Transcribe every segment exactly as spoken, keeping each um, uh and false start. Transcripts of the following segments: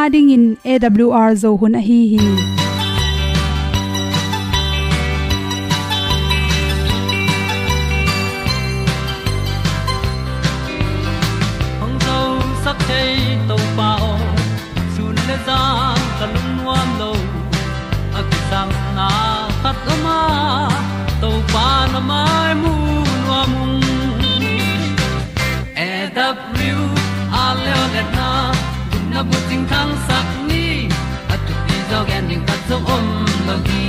Adingin A W R Zo hun ahi hi. Hong zosak thei Topa aw, sun le zan ka lungnuam lo. A kisangna khat lama Topa na mai mu nuam ung. A W R leo letna, gupna bucing thangsak ni, a thupi zaw gen ding khat zong om lo hi.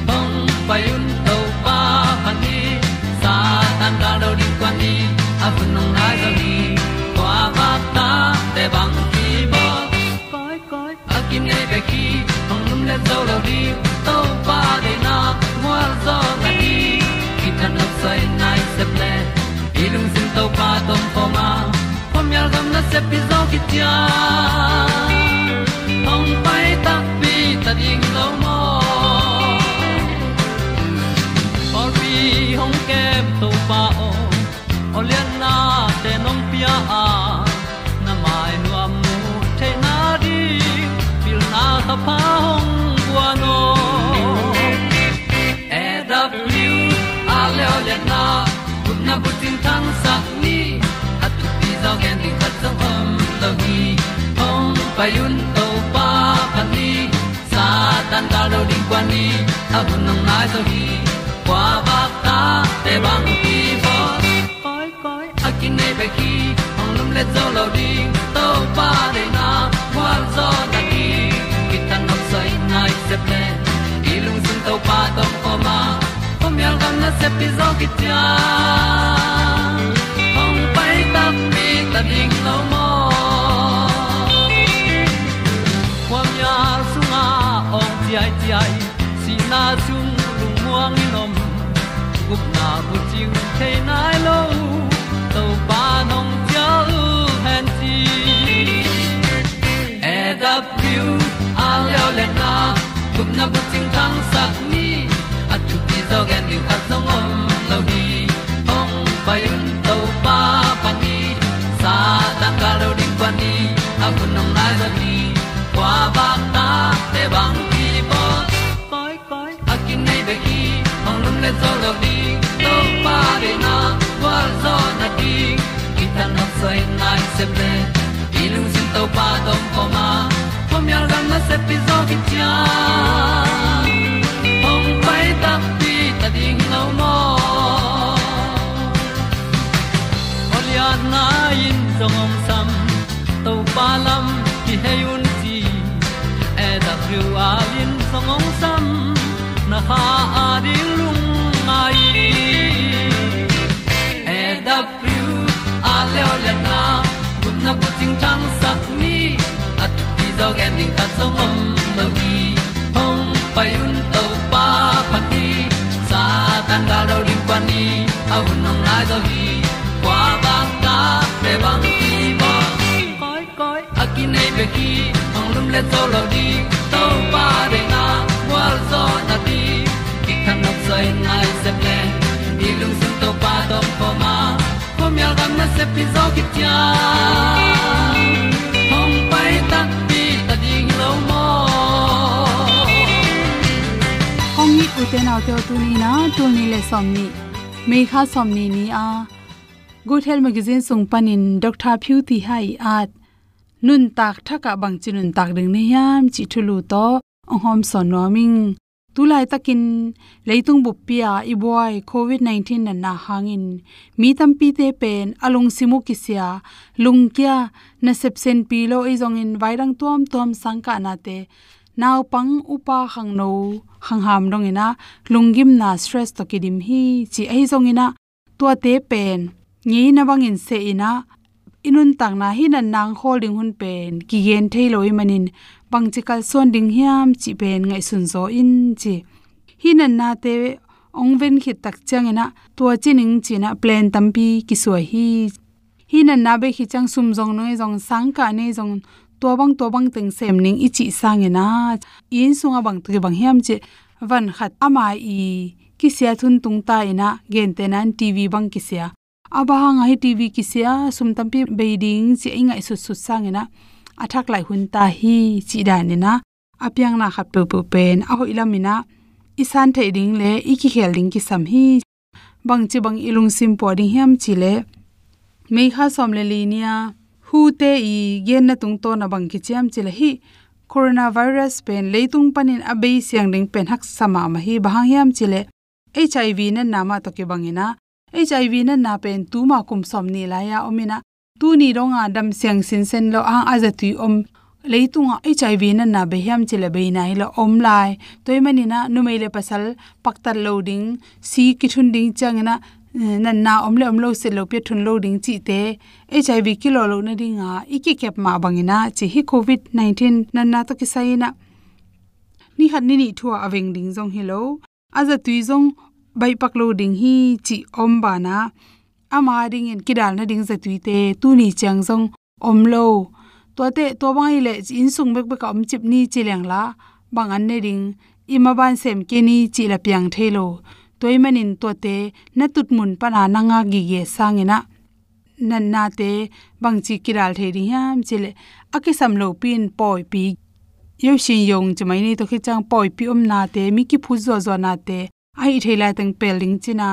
Hong pai un Topa phat ni, Satan gal do ding kuan ni, a hun hong nai zaw hi. Kua vak ta te bang ki bawl. Koi, koi, a kinei bek hi, hong lum le zo lo ding, Topa deihna gualzawhna ding, kithanuam soi nai sep le, i lungsim Topa tawh om khawm a, khuamial gam nasep hi zaw kician, hong pai takpi ta ding lo maw. Pawlpi hong kem Topa aw, aw liannate nong pia a, na mai nuam mu theihna ding, pilna thapha hong guan aw. A W R leo letna, gupna bucing thangsak ni, a thupi zaw gen ding khat zong om lo hi. Hong pai un Topa phat ni, Satan gal do ding kuan ni, a hun hong nai zaw hi. Kua vak ta te bang ki bawl. Koi, koi, a kinei bek hi, hong lum le zo lo ding, Topa deihna gualzawhna ding, kithanuam soi nai sep le, i lungsim Topa tawh om khawm a, khuamial gam nasep hi zaw kician, hong pai takpi ta ding lo maw. Khuamial sungah awng ciaiciai, sihna sung lungmuang in om, gupna bucing thei nai lo, Topa nong cial hen ci. A W R leo letna, gupna bucing thangsak ni, a thupi zaw gen ding khat zong om lo hi. Hong pai un Topa phat ni, Satan gal do ding kuan ni, a hun hong nai zaw hi. Kua vak ta te bang ki bawl. Koi, koi, a kinei bek hi, hong lum le zo lo ding, Topa deihna gualzawhna ding, kithanuam soi nai sep le, i lungsim Topa tawh om khawm a, khuamial gam nasep hi zaw kician, hong pai takpi ta ding lo maw. Aw lianna in zong hong sam, Topa lam kihei un ci, A W R in zong hong sam, na kha a ding lungngai. A W R leo letna, gupna bucing thangsak ni, a thupi zaw gen ding khat zong om lo hi. Hong pai un Topa phat ni, Satan gal do ding kuan ni, a hun hong nai zaw hi. Kua vak ta te bang ki bawl. Koi, koi, a kinei bek hi, hong lum le zo lo ding, Topa deihna gualzawhna ding, kithanuam soi nai sep le, i lungsim Topa tawh om khawm a, khuamial gam nasep hi zaw kician, hong pai takpi ta ding lo maw. Hong it ute naute aw, tuni in ah, tul nih le sawmnih, May kha sawmnih ni a, Good Health Magazine sung panin Doctor Phyu Thi Hai at nuntak thakah bangci nuntak ding na hiam cih thulu tawh hong hawmsawn nuam ing. Tulaitakin leitung buppi-a i buai covid nineteen natna hangin mi tampite pen a lungsim uh kisia, lungkia, nasep senpi lo, ahi zongin vaidang tuamtuam sangkahnate, naupang, upa, khangno, khangham dongin ah lunggimna, stress tawh kidim hi ci. Ahi zongin ah tuate pen ngeina bangin seh in ah, i nuntakna hih natna hong khawl ding hun pen kigen thei lo ahih manin bangci kalsuan ding hiam cih pen ngaihsun zaw in ci. Hih natnate hong ven khit tak ciangin ah tua ci ning ci-in ah plan tampi kisuai hi. Hih natna bei khit ciang sum zong nong nei zong, sangkah nei zong, tua bang tua bang teng sem ning i cih sangin ah, i inn sungah bang tawh kibang hiam cih, van khat ama i kisiat hun tung ta in ah, gentehna in T V bang kisia. A bang hang a hih T V kisia, sum tampi bei ding cih i ngaihsutsut sangin ah, a thak laih hun ta hi, cih dan in ah a piangna khat peuhpeuh pen a hoih lam in ah i san theih ding le i kikhel ding kisam hi. Bangci bang i lungsim pua ding hiam cih leh, May kha sawm le li ni-a WHO te i genna tungtawn ah bang kici hiam cih leh, hih coronavirus pen leitung panin a bei siang ding pen haksa mahmah hi. Bang hang hiam cih leh HIV natna mah tawh kibang in ah, HIV natna pen tuma kum sawmnih lai-a om in ah, tuni dong a dam siang sinsen lo hang a zatui om, leitungah HIV natna bei hiam cih leh bei nai lo, om lai. Tua ahih manin ah numei le pasal paktat lo ding, si kithun ding ciangin ah, eh, natna om le om lo, sit lopi a thun lo ding cihte, HIV kilawh loh nading a i kikep mah bangin ah, ci hi, covid nineteen natna tawh kisai in ah ni khat ni nih thu ah a veng ding zong hi lo, a zatui zong baihpak lo ding hi, cih om banah, ama dingin kidal nading zatuite tuni ciang zong om lo. Tuate, tua bang ahih leh inn sung bekbek ah om cip ni ci leng la, bang an ne ding, i maban sem kei ni cih la piang thei lo. Tua ahih manin tuate na tutmun pan a na ngak gige sangin ah, natnate bangci kidal thei ding hiam cih leh, a kisam lopi in pawipi, yo shin yong ci mai ni, tua khit ciang pawipi omnate, mi kiphut zuahzuahnate, a hih thei laiteng pel ding cin a,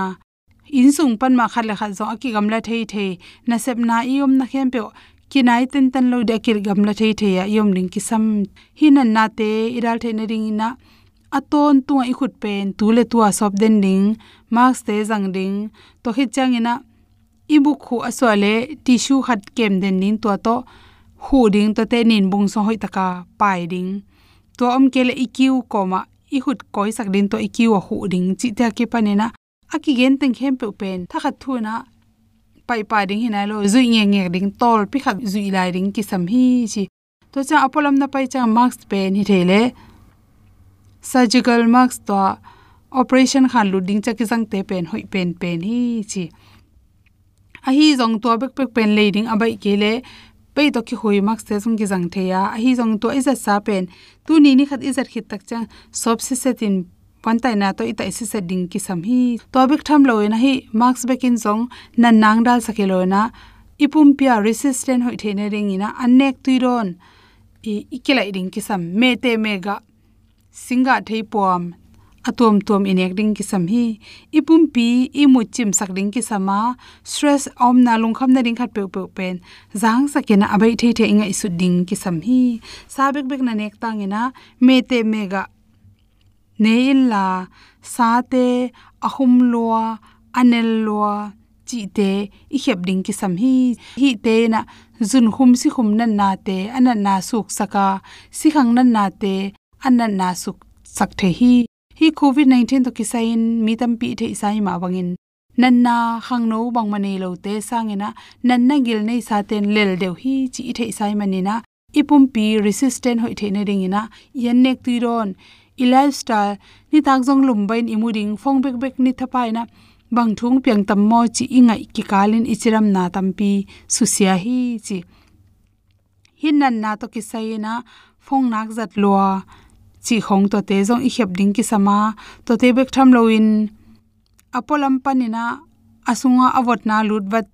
inn sung pan mah khat le khat zong a kigamla theithei, nasepna i omna khempeuh kinai tentan lo ding a kigamla theithei ah i om ding kisam. Hih natnate i dal theih nadingin ah, a tawntungah i khut pen tu le tu a sawp den ding, mask te zang ding, tua khit ciangin ah i buk khuh a suah le tissue khat kem den ding, tua tawh khuh ding, tuate ninbung sung hoih taka pai ding. Tua om kei leh i kiu kawmah i khut kawisak ding, tua i kiu ah khuh ding, cihte a kipanin ah a kigen teng khempeuh pen thakhat thu in ah paihpah ding hi nai lo, zuih ngekngek ding, tawlpi khat zuih lai ding kisam hi, ci. Tua ciang a pualam na pai ciang mask pen hi thei leh, surgical mask, tua operation khan lut ding ciang kizangte pen hoih penpen hi, ci. Ahi zong tua bekbek pen lei ding a baih kei leh, pei tawh kikhui mask te zong kizang thei a, ahi zong tua i zatsa pen tuni ni khat i zat khit tak ciang sawp siset in, puantaina tawh i taih siset ding kisam hi. Tua bek tham lo in ah, hih mask bek in zong natna ang dalsak hi lo in ah, i pumpi ah resistant hoih theih nadingin ah, an nek tui dawn i, i kilaih ding kisam. Mehteh mehgah, singgah theipuam, a tuamtuam i nek ding kisam hi. I pumpi i mut cimsak ding kisam a, stress a omna, lungkham nading khat peuhpeuh pen zangsak in ah, a baih theithei i ngaihsut ding kisam hi. Sa bekbek na nek tangin ah, mehteh mehgah, ne inla, sate a khum lua, a nel lua, cihte i khep ding kisam hi. Hihte in ah zunkhum sikhum natnate a natna suksak a, sikhang natnate a natna suksak thei hi. Hih covid nineteen tawh kisai in mi tampi i theihsa hi mah bangin, natna khangno bangmah nei lote sangin ah, natna gil neisate in lel deuh hi, ci i theihsa hi manin ah, i pumpi resistant hoih theih nadingin ah, i an nek tui dawn, i lifestyle, nitak zong lumbai in i mu ding, phone bekbek ni thapa in ah, bang thu hong piang tam maw, ci i ngaih kikal in i cidamna tampi susia hi, ci. Hih natna tawh kisai in ah, phone nak zat lua, cih khong, tuate zong i khep ding kisam a, tuate bek tham lo in, a pualam panin ah, a sungah a votna lut vat,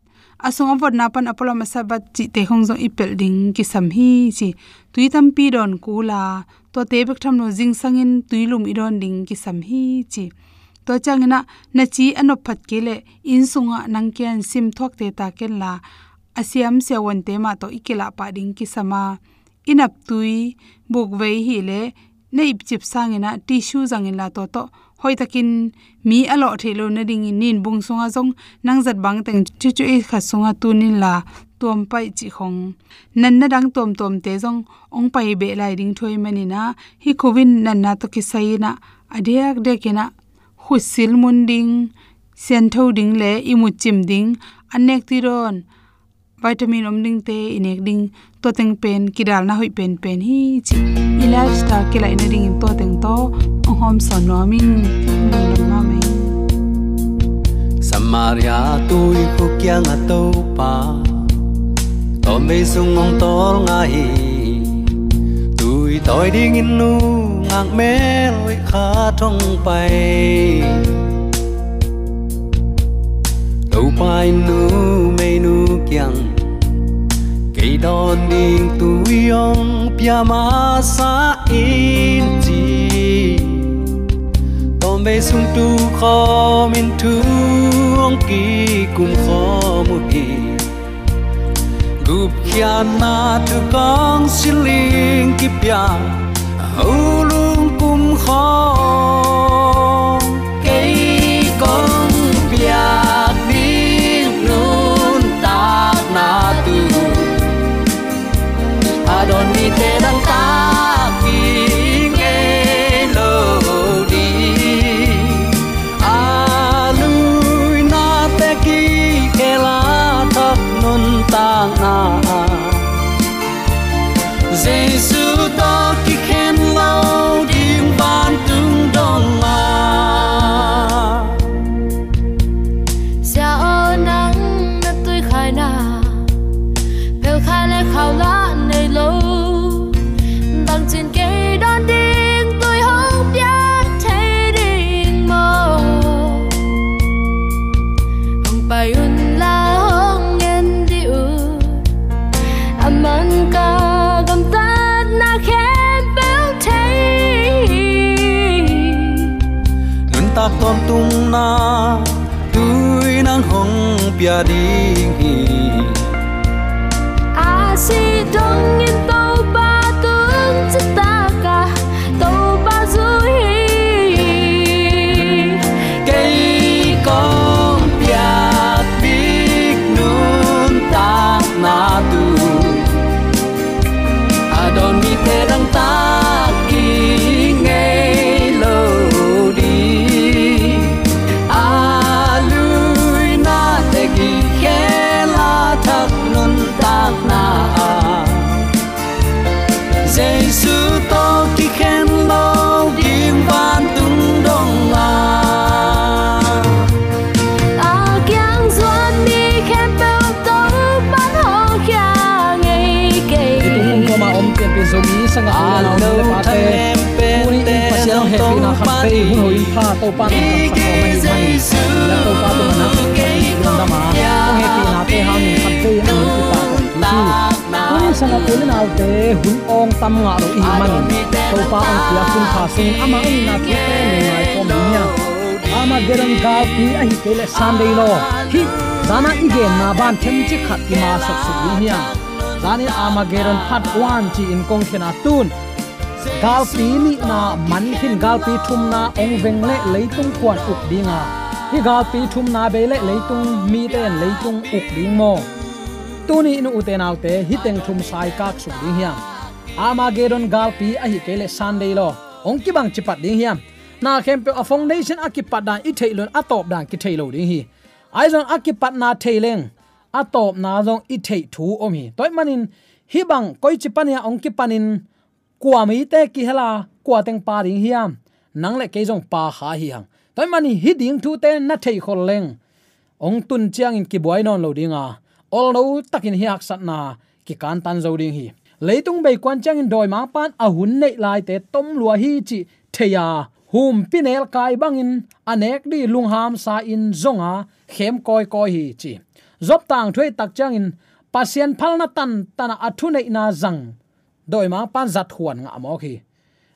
a sung a votna pan a pualam a sat vat, cihte khong zong i pelh ding kisam hi, ci. Tui tampi dawn kul a, tuate bek tham lo, zingsangin tui lum i dawn ding kisam hi, ci. Tua ciangin ah, na ci a nop phat kei leh, inn sungah nang kiang sim thuakte ta ken la, a siam siavuante mah tawh i kilah pah ding kisam a, i naptui, bukvei hi leh, na ipcip sangin ah tissue zang inla, tua tawh hoihtakin mi a lawh theih loh nadingin ninbung sungah zong nang zat bang teng cucu ei khat sungah tun inla, tuam paih, cih khong. Natna dang tuamtuamte zong hong pai beh lai ding thu ahih manin ah, hih covid natna tawh kisai in ah, a diakdiakin ah khutsil mun ding, siantho ding le i mut cim ding, an nek tui dawn, vitamin om dingte i nek ding, tua teng pen kidalna hoih penpen hi, ci. I lifestyle kilaih nadingin tua teng tawh hong hawmsawn nuam ing. Lungdam mahmah ing. Samaria tuikhuk kiangah Topa, tawmvei sung hong tawlnga hi. Tui tawi dingin nungak mel hoih khat hong pai. Topa in numeinu kiang, Kei dawn ding tui hong pia masa in ci, tawmvei sung tu khawm in thu hong kikum khawm uh hi. Gupkhiatna thu kong siling kipia, a ulung kum khawm. Kei kong piak ding nuntakna tu a dawn mite dangtak ki ngei lo ding. A luinate kikhel a thak nuntakna, Jesu tawh kikhen lo ding vantung dong a. Sia aw, nang na tuikhaina, phelkhai le khau lah nei lo. Bangcin kei dawn ding tui hong pia thei ding maw? Hong pai un la, hong en dih un. A man ka gamtatna khempeuh thei. Nuntak tawntungna tui nang hong pia ding hi. A sih dongin Topa tung citak a Topa zui hi. Kei kong piak ding nuntakna tu a dawn mite dangtak ki ngei lo ding. A luinate kikhel a thak nuntakna, Jesu tawh kikhen lo ding vantung dong a. A kiang zuan mi khempeuh Topa'n hawlkhia ngei kei. Leitung pumkhat a om pianpih Zomi sanggamte, u le naute, tuni in Pasian hong hehpihna khatvei hun hoih in pha Topa'n hong kamsak kawm ahih manin, Topa tungah nakpi takin lungdam a, hong hehpihnate hangin khatvei a hong kipa kawm hi. Tuni in sanggamte, u le naute, hun awng tam ngah lo i hih manin, Topa hong piak hun pha sungin amah hong itna thute lungngai kawm ding hiam? Armageddon galpi ahih kei leh Sunday law, hih zan a i genna ban themcik khat i masak suk ding hiam? Zan in Armageddon part one ci-in kong khen a, tun galpi nihna man khin, galpi thumna hong veng leh leitung kua'n uk ding a, hih galpi thumna bei leh leitung mite in leitung uk ding maw? Tuni in ute naute, hih teng thum sa i kak suk ding hiam? Armageddon galpi ahih kei leh Sunday law hong kibang ci pat ding hiam? Na khempeuh a foundation a kipat dan i theih lo in a tawp dan kithei lo ding hi. Ahi zong a kipatna thei leng a tawpna zong i theih thu om hi. Tua ahih manin hih bang koici pan hiam hong kipanin kua mite kihel a, kua teng pha ding hiam? Nang le kei zong pha kha hi hang. Tua ahih manin hih ding thute na theih khol leng hong tun ciangin kibuai nawn lo ding a, olno takin hih haksatna kikantan zo ding hi. Leitung bei kuan ciangin dawimangpa'n a hun neih laite tom lua hi cih thei a, humpi nelkai bangin a nek ding lunghamsa in zong a, khem kawikawi hi ci. Job tangthu i et tak ciangin Pasian phalna tantan a, a thuneihna zang dawimangpa'n zat huan ngah mawk hi.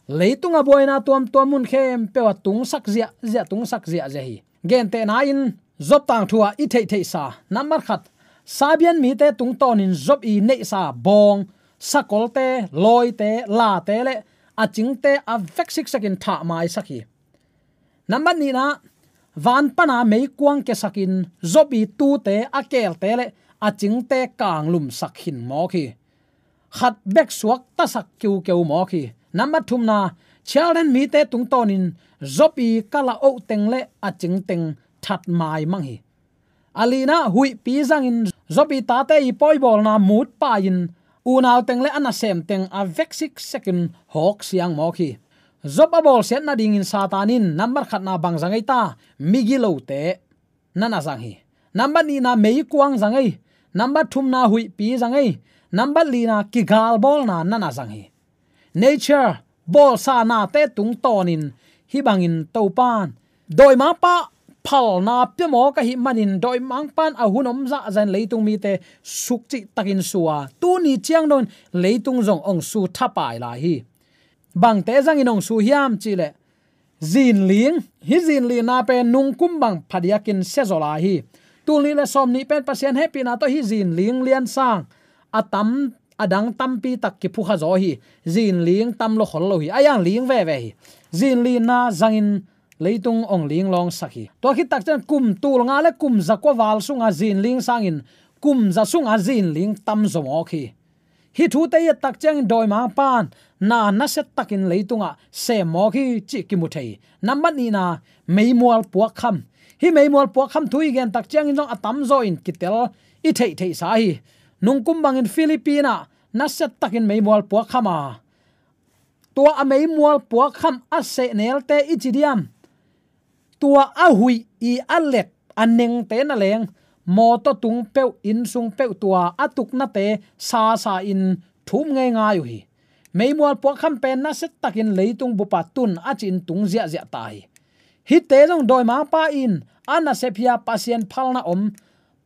Leitung a buaina tuamtuam mun khempeuh ah tungsak ziahziah, tungsak ziahziah hi. Gentehna in Job tangthu ah i theihtheihsa, nambat khat, Sabean mite tungtawnin Job i neihsa bawng, sakolte, lawite, late le a cingte a vek siksekin thah maisak hi. Nambat nihna, van pana meikuang kiasakin Job i tuute, a keelte le a cingte kanglumsak khin mawk hi. Khat bek suaktasak keukeu mawk hi. Nambat thumna, Children mite tungtawnin Job i kala-oh teng le a cingteng that maimang hi. A lina, huihpi zangin Job i tate i pawibawlna mut pai-in unau teng le a nasem teng a vek siksekin hawk siang mawk hi. Job a bawlsiat nadingin Satan in nambat khatna bang za ngei ta? Migilote na na zang hi. Nambat nihna meikuang za ngei. Nambat thumna huihpi za ngei. Nambat lina kigalbawlna na na zang hi. Nature, bawlsa nate tungtawnin hih bangin Topa'n dawimangpa phalna pia mawk ahih manin dawimangpa'n a hun om zahzah in leitung mite sukcih takin su a, tuni ciang dongin leitung zong hong su thapai lai hi. Bangte zangin hong su hiam cih leh, zinling, hih zinlinna pen nungkum bang phadiakin sia zaw lai hi. Tul nih le sawm nih pen Pasian hehpihna tawh hih zinling liansang a tam, a dang tampi tak kiphukha zaw hi. Zinling tam lo khol lo hi, a iang ling veve hi. Zinlinna zangin leitung hong linglawngsak hi. Tua khit tak ciang kum tul nga le kum za kua val sunga zinling sangin kum za sunga zinling tam zaw mawk hi. Hih thute i et tak ciangin dawimangpa'n na nasia takin leitungah sem mawk hi cih kimu thei hi. Nambat nihna, meimual puakkham. Hih meimual puakkham thu i gen tak ciangin zong a tamzaw in kitel i theihtheihsa hi. Nungkum bangin Philippines ah nasia takin meimual puakkham a, tua a meimual puakkham a sehnelte i ci diam, tua a huih i a let a nengte naleng, mawtaw tung peuh, inn sung peuh tua a tuknate sasa in thum ngeingai uh hi. Meimual puakkham pen nasia takin leitung bupa tun a ci-in tung ziahziah ta hi. Hihte zong dawimangpa in a nasep hi a, Pasian phalna om,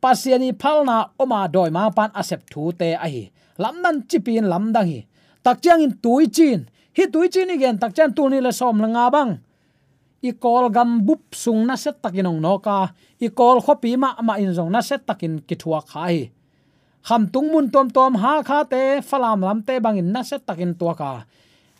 Pasian i phalna om a dawimangpa'n a sep thute ahi. Lamdang cipi in lamdang hi. Tak ciangin tuicin, hih tuicin i gen tak ciang tul nih le sawm le nga bang i Kawlgam bup sung nasia takin hong nawk a, i Kawl khuapi mahmah in zong nasia takin kithuak kha hi. Khamtung mun tuamtuam, Hakhate, Falam lamte bangin nasia takin tuak a,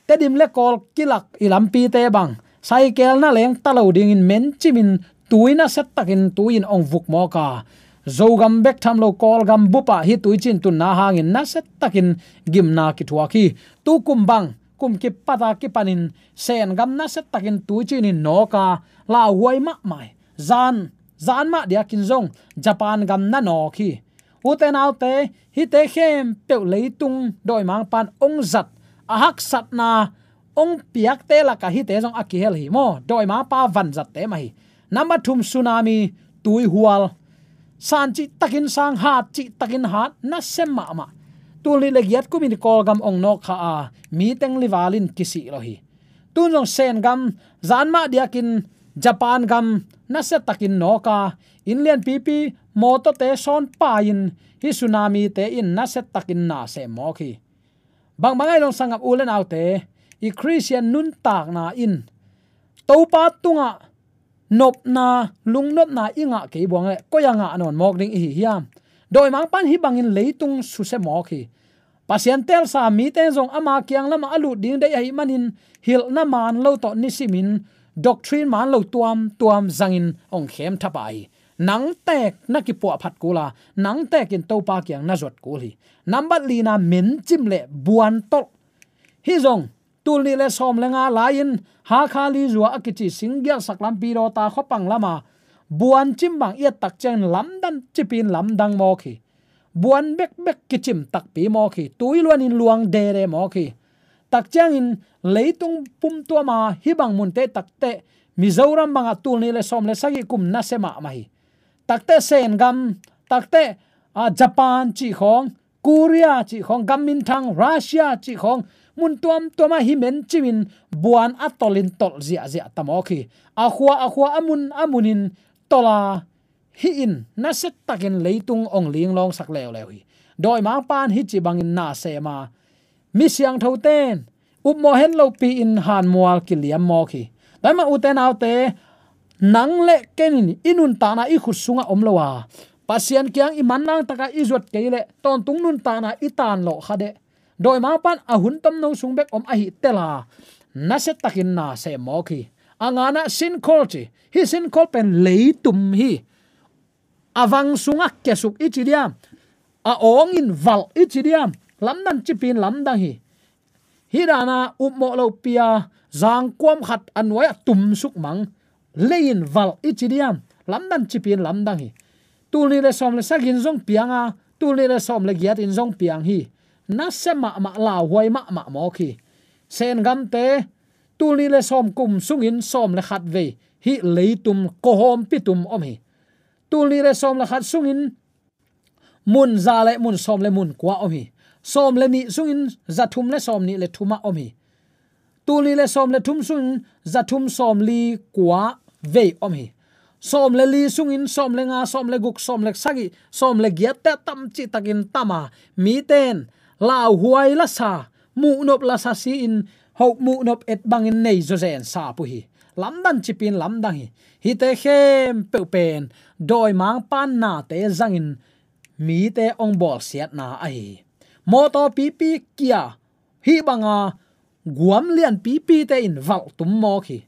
Tedim le Kawl kilak i lampite bang, saikel naleng ta lo dingin mencimin tui nasia takin tui in hong vuk mawk a, Zogam bek tham lo Kawlgam bup ah hih tuicin tunna hangin nasia takin gimna kithuak hi. Tukum bang, kum kipat a kipanin Sen gam nasia takin tuicin in nawk a, lauhuai mahmah hi. Zan, zan mah diakin zong Japan gam na nawk hi. Ute naute, hihte khempeuh leitung dawimangpa'n hong zat, a haksatna hong piakte lakah hihte zong a kihel hi maw. Dawimangpa vanzatte mah hi. Nambat thum, tsunami, tuihual. San cih takin sang, hat cih takin hat, nasia mahmah. Tul nih le giat kumin Kawlgam hong nawk kha a, mi teng lival in kisih lo hi. Tun zong Sen gam, zan mah diakin Japan gam nasia takin nawk a, inn lianpipi, mawtawte sawn pai-in hih tsunamite in nasia takin na sem mawk hi. Bangbang ahi zong sanggam u le naute, i Khristian nuntakna in Topa tungah nopna, lungnopna i ngah kei buang leh koi a ngah nawn mawk ding i hi hiam? Dawimangpa'n hih bangin leitung susia mawk hi. Pasian teelsa mite zong ama kiang lamah a lut ding deih ahih manin hilhna man lo tawh nisimin doctrine man lo tuamtuam zangin hong khem thapai hi. Nang tek na kipuahphat kul a, nang tekin Topa kiang na zuat kul hi. Nambat lina, mencim le buantolh. Hih zong tul nih le sawm le nga lai-in Hakha Lizua a kici singgialsak lampi Dawta khuapang lama buancim bang i et tak ciangin lamdang cipi in lamdang mawk hi. Buan bekbek kicim takpi mawk hi. Tui luanin luang dede mawk hi. Tak ciangin leitung pumtuama hih bang munte takteh Mizoram bangah tul nih le sawm le sagih kum nasia mahmah hi. Takteh Sen gam, takteh, a, Japan cih khawng, Korea cih khawng, gam minthang Russia cih khawng, mun tuamtuamah hih mencimin buan a tolhin tolh ziahziah ta mawk hi. A khua a khua, a mun a munin tolh a, hih in nasia takin leitung hong linglawngsak leuleu hi. Dawimangpa'n hih ci bangin na sem a, mi siangthote'n upmawh het lopi-in hanmual kiliam mawk hi. Tua ahih manin ute naute, nang le ken in i nuntakna i khut sungah om lo a, Pasian kiang i manlang takah i zuat kei leh tawntung nuntakna i tanlawh kha deh. Dawimangpa'n a hun tomno sung bek om ahih tela, nasia takin na sem mawk hi. A ngana, sinkhole ci. Hih sinkhole pen leitum hi. A vang sungah kiasuk i ci diam, a awngin valh i ci diam, lamdang cipi in lamdang hi. Hih dana upmawh lopi a zangkuam khat a nuai-ah tumsuk mang, lei-in valh i ci diam, lamdang cipi in lamdang hi. Tul nih le sawm le sagih in zong piang a, tul nih le sawm le giat in zong piang hi. Nasia mahmah, lauhuai mahmah mawk hi. Sen gamte tul nih le sawm kum sungin sawm le khat vei hih leitum kawhawmpi tum om hi. Tul nih le sawm le khat sungin mun za le mun sawm le mun kua om hi. Sawm le nih sungin za thum le sawm nih le thum ah om hi. Tul nih le sawm le thum sungin za thum sawm li kua vei om hi. sawm le li sungin sawm le nga, sawm le guk, sawm le sagih, sawm le giatte a tam cihtakin tam a, mite in lauhuai lasa, muhnop lasa si-in, hoh muhnop et bangin nei zawzen sap uh hi. Lamdang cipin lamdang hi. Hihte khempeuh pen dawimangpa'n nate zangin mite hong bawlsiatna ahi hi. Mawtaw pipi kia, hih banga guam lianpipite in valh tum mawk hi.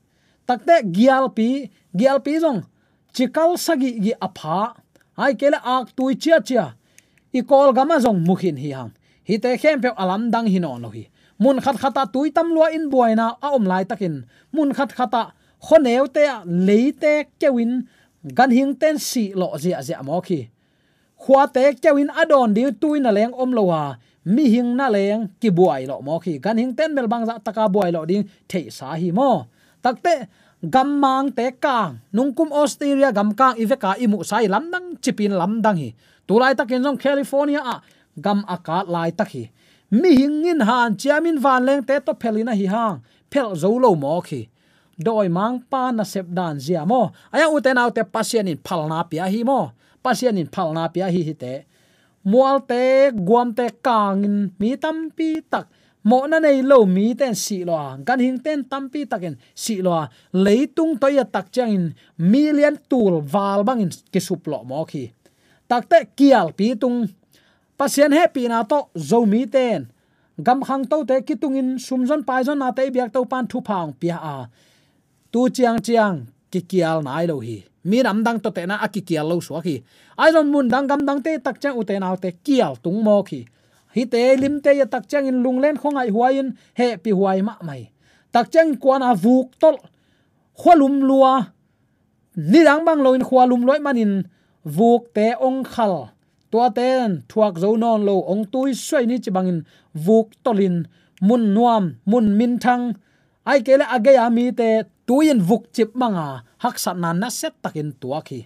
Takte gialpi, gialpi zong cikal sagih gih a pha, ahih kei leh aktui ciacia, i Kawlgam ah zong mu khin hi hang. Hihte khempeuh a lamdang hi nawn lo hi. Mun khatkhat ah tui tam lua in buaina a om laitakin, mun khatkhat ah khuaneute ah leite keu in ganhingte'n sihlawh ziahziah mawk hi. Khuate keu in a dawn ding tui na leng om lo a, mihing na leng kibuai lawh mawk hi. Ganhingte'n melbangzah taka buai lawh ding theihsa hi maw. Takte gammangte kang, nungkum Australia gam kang i vek a i muhsa hi, lamdang cipin lamdang hi. Tulaitakin zong California ah gam a kat laitak hi. Mihing in hanciamin vanlengte tawh phelin ahi hang, phelh zo lo mawk hi. Dawimangpa nasep dan zia maw. Ahi hang ute naute, Pasian in phalna pia hi maw. Pasian in phalna pia hi hihte. Mualte, guamte kangin mi tampi tak, mawhna nei lo mite'n sihlawh a, ganhingte'n tampi takin sihlawh a, leitung tawh i et tak ciangin million tul val bangin kisuplawh mawk hi. Takte kialpi tung, Pasian hehpihna tawh Zomite'n gam khangtote kitungin sumzon paizonnate i biak Topa'n thupha hong pia a, tu ciangciang kikial nai lo hi. Minam dang tawh tehna a kikial lo suak hi. Ahi zong mundang gamdangte i et tak ciang ute naute kial tung mawk hi. Hihte limte i et tak ciangin lunglen khuangaih huai in hehpih huai mahmah hi. Tak ciangin kuana vuk tolh, khualum lua, nidang bang loin khualum lua ahih manin vukte hong khal, tuate'n thuak zo nawn lo, hong tui suai ni ci bangin vuk tolhin mun nuam, mun minthang, ahih kei leh a gei a mite tui in vukcip banga haksatna nasia takin tuak hi.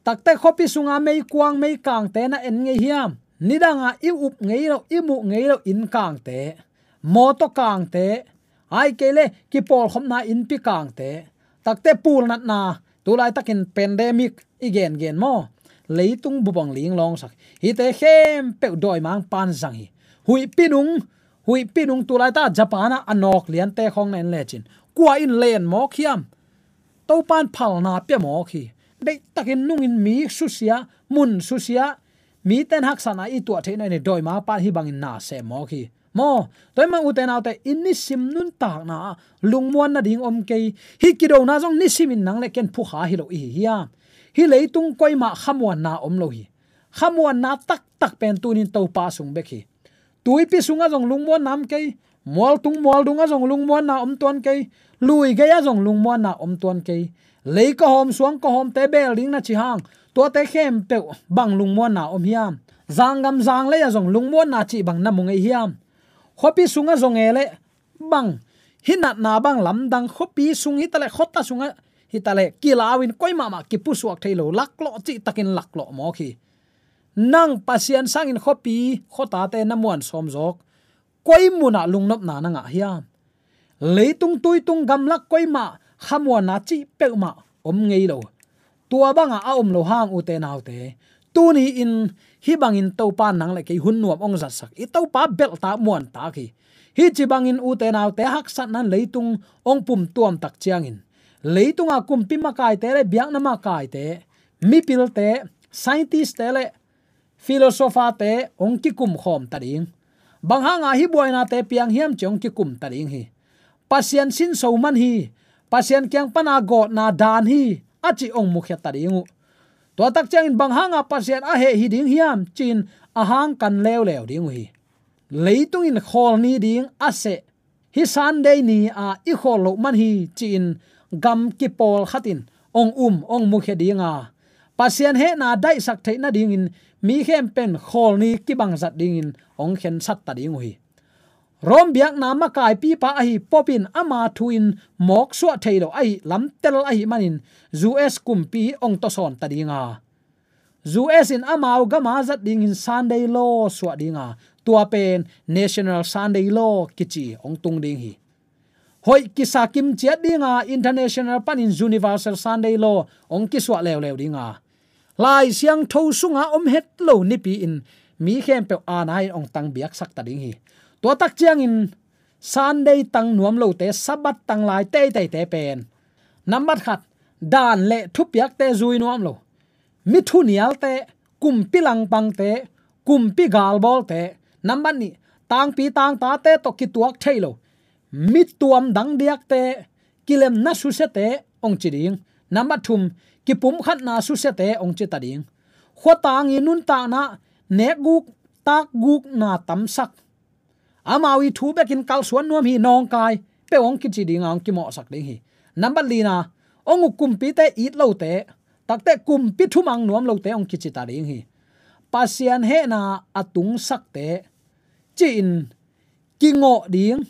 Takte khuapi sunga meikuang meikangte na en ngei hiam? Nidanga i up ngei lo, i muh ngei lo inn kangte, mawtaw kangte, ahih kei leh kipawlkhopna innpi kangte, takte pulnatna, tulaitakin pandemic i gengen maw, leitung bup hong linglawngsak. Hihte khempeuh dawimangpa'n zang hi. Huihpi nung, huihpi nung, tulaita Japan ah a nawk liante khawng na en lecin, kua in len mawk hiam? Topa'n phalna pia mawk hi. Deihtakin nungin mi susia, mun susia, mite'n haksatna i tuah theihna in dawimangpa'n hih bangin na sem mawk hi. Maw, tua ahih manin ute naute, i nisim nuntakna ah lungmuan nading om kei. Hih kidona zong nisimin nang le ken phukha hi lo i hi hiam? Hih leitung koimah khamuanna om lo hi. Khamuanna taktak pen tuni-in Topa sung bek hi. Tuipi sungah zong lungmuanna om kei. Mualtung mualdungah zong lungmuanna om tuan kei. Lui gei-ah zong lungmuanna om tuan kei. Lei kawhawm suang kawhawmte beel ding na ci hang, tuate khempeuh bang lungmuanna om hiam? Zanggam zanglei-ah zong lungmuanna cih bang na mu ngei hiam? Khuapi sungah zong e leh bang, hih natna bang lamdang, khuapi sung hitaleh, khuata sungah hitaleh, kilau-in koi mahmah kipusuak thei lo, laklawh cihtakin laklawh mawk hi. Nang Pasian sangin khuapi khuatate na muan sawm zawk, koi munah lungnopna na ngah hiam? Leitung tuitung gamlak koi mah khamuanna cih peuhmah om ngei lo. Tua bangah a om lo hang ute naute, tuni-in hih bangin Topa nang le kei hun nuam hong zatsak, i Topa belhtak muantak hi. Hih ci bangin ute naute, haksatna in leitung hong pumtuam tak ciangin, leitunga kumpi makaite le biakna makaite, mipilte, scientist-te le philosopher-te hong kikum khawm ta ding. Bang hanga hih buainate piang hiam ci hong kikum ta ding hi. Pasian sinso man hi, Pasian kiang pana gawtna dan hi, a cih hong mukhia ta ding uh. Tua tak ciangin bang hanga Pasian a heh hi ding hiam ci-in a hangkan leuleu ding uh hi. Leitung in khawl ni ding a seh, hih Sunday ni-a i khawl loh man hi ci-in gam kipawl khat in hong um, hong mukhia dinga, Pasian hehna daihsak theih nadingin mi khempeuh in khawl ni kibang zat dingin hong khensat ta ding uh hi. Rome biakna makaipipa ahi Pope in ama thu-in mawksuah thei lo ahi lamtel ahih manin U S kumpi hong tawsawn ta dinga, U S in amau gama zat dingin Sunday law suah dinga, tua pen National Sunday Law kici hong tung ding hi. hoih kisa kimciat dinga, international panin Universal Sunday Law hong kisuah leuleu dinga, Lai Siangtho sunga om het lo nipi in mi khempeuh aana in hong tang biaksak ta ding hi. Tua tak ciangin Sunday tang nuam lote, Sabbath tang lai teiteite pen, nambat khat, dan le thupiakte zui nuam lo, mi thunialte, kumpi langpangte, kumpi galbawlte, nambat nih, tangpi tangtate tawh kituak thei lo, mi tuam dang diakte, kilemna susiate hong ci ding. Nambat thum, kipumkhatna susiate hong ci ta ding. Khuatang i nuntakna, nekguk takgukna tamsak, amau i thu bekin kalsuan nuam hi, nawngkai peuh hong kici dinga hong kimawhsak ding hi. Nambat lina, hong uk kumpite it lote, takte kumpi thumang nuam lote hong kici ta ding hi. Pasian hehna a tungsakte ci-in kingawh ding,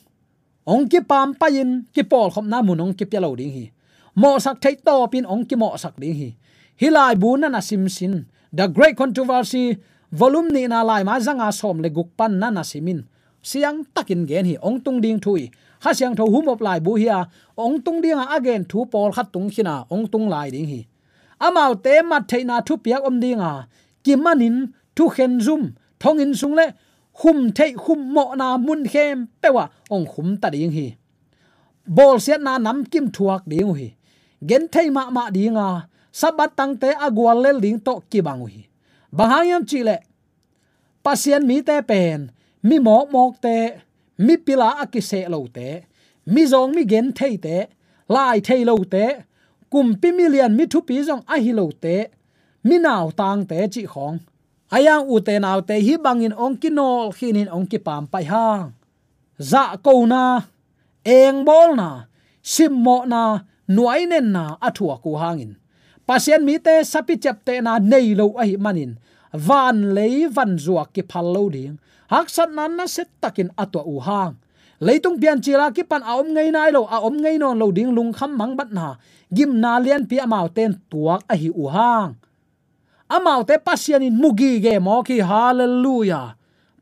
hong kipampaih in kipawlkhopna mun hong kipia lo ding hi. Mawhsak theih tawpin hong kimawhsak ding hi. Hih laibu na na simsin, The Great Controversy, volume nihna, laimai zanga sawm le guk pan na na simin, siangtakin gen hi. Hong tung ding thu hi. Kha Siangtho humop laibu hi a, hong tung dinga a gen thu pawlkhat tung khina hong tung lai ding hi. Amaute mat theihna thupiak om dinga, kimanin thukhen zum, thonginn sung le khum theih khum mawhna mun khempeuh ah hong khum ta ding hi. Bawlsiatna namkim thuak ding uh hi. Genthei mahmah dinga, Sabbath tangte a guallel ding tawh kibang uh hi. Bang hang hiam cihleh, Pasian mite pen mi mawkmawkte, mi pila a kiseh lote, mi zawng mi gentheite, lai thei lote, kumpi milian mi thupi zong ahi lote, mi nautangte cih khawng, a yang ute naute hih bangin hong kinawlkhinin hong kipampaih hang, zahkona, engbawlna, simmawhna, nuainenna a thuak uh hangin, Pasian mite sapi ciaptehna nei lo ahih manin, vanlei vanzuak kiphal lo ding haksatna nasiatakin a tuah uh hang, leitung piancil a kipan a om ngei nai lo, a om ngei nawn lo ding lungkham mangbatna, gimna lianpi amaute in tuak ahi uh hang, amaute Pasian in mu gige mawk hi. Halleluiah.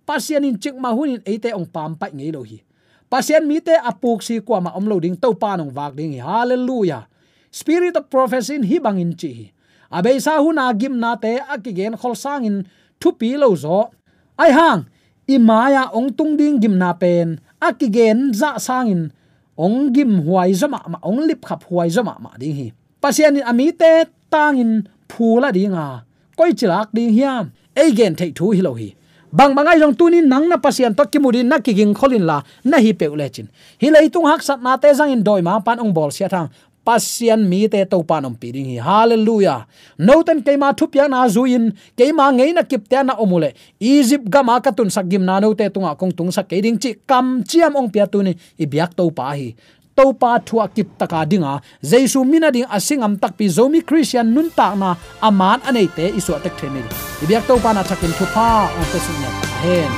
Pasian in cikmah hunin eite hong pampaih ngei lo hi. Pasian mite a puksi kuamah om lo ding, Topa in hong vak ding hi. Halleluiah. Spirit of prophecy in hih bangin ci hi. A beisa huna gimnate a kigenkhol sangin thupi lo zaw. Ahi hang, i mai-ah hong tung ding gimna pen a kigen zah sangin hong gimhuai zaw mahmah, hong lipkhaphuai zaw mahmah ding hi. Pasian in a mite tangin phu la dinga, koici lak ding hiam? Ei gen theih thu hi lo hi. Bangbang ahi zong tunin nang na Pasian tawh kimu dingin na kigingkhol inla, na hi peuh lecin, hih leitung haksatnate zangin dawimangpa'n hong bawlsiat hang, Pasian mite Topa in ompih ding hi. Halleluiah. Note'n keima thupiakna zui-in, keima ngeina kipte ah na om uhleh, Egypt gama ka tunsak gimna note tungah kong tungsak kei ding cih kamciam hong pia tunin i biak Topa hi. Topa thu a kiptaka dinga, Jesu min a ding a si ngam takpi Zomi Khristian nuntakna a man a neite i suahtek thei ni. I biak Topa in a thakin thupha hong pia suk ngiat ta hen.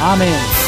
Amen.